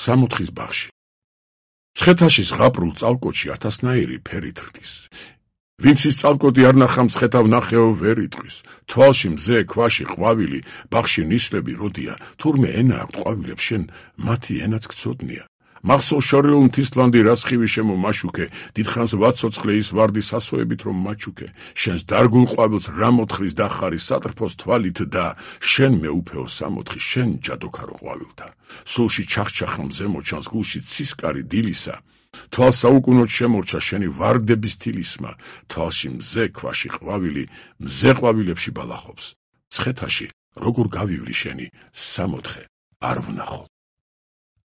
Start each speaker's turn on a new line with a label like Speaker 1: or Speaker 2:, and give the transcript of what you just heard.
Speaker 1: სამოთხის ბაღში. მცხეთაში ზღაპრულ წალკოტში ათასნაირი ფერით ხდის. ვინც ის წალკოტი არ ნახა მცხეთავ ნახეო ვერ იტყვის. თვალში მზე, ქვაში ყვავილი, ბაღში ნისლები როდია, თურმე ენა აქვთ ყვავილებს შენ, მათი ენაც გწოდნია. მახსოვს შორეულ მთისლანდი რასხივი შემო მაშუქე, დიდხანს ვაცოცხლე ის ვარდი სასოებით რომ მაჩუქე. შენს დარგულ ყვავილს რა მოთხრის დახარი სატრფოს თვალით და შენ მეუფეო სამოთხი, შენ ჯადოქარო ყვავილთა. სულში ჩახჩახა მზე მოჩანს, გულში ცისკარი დილისა. თვალს საუკუნოდ შემორჩა შენი ვარდების თილისმა. თვალში მზე, ქვაში ყვავილი, მზე ყვავილებში ბალახობს. მცხეთაში როგორ გავივლი შენი, სამოთხე არ ვნახო.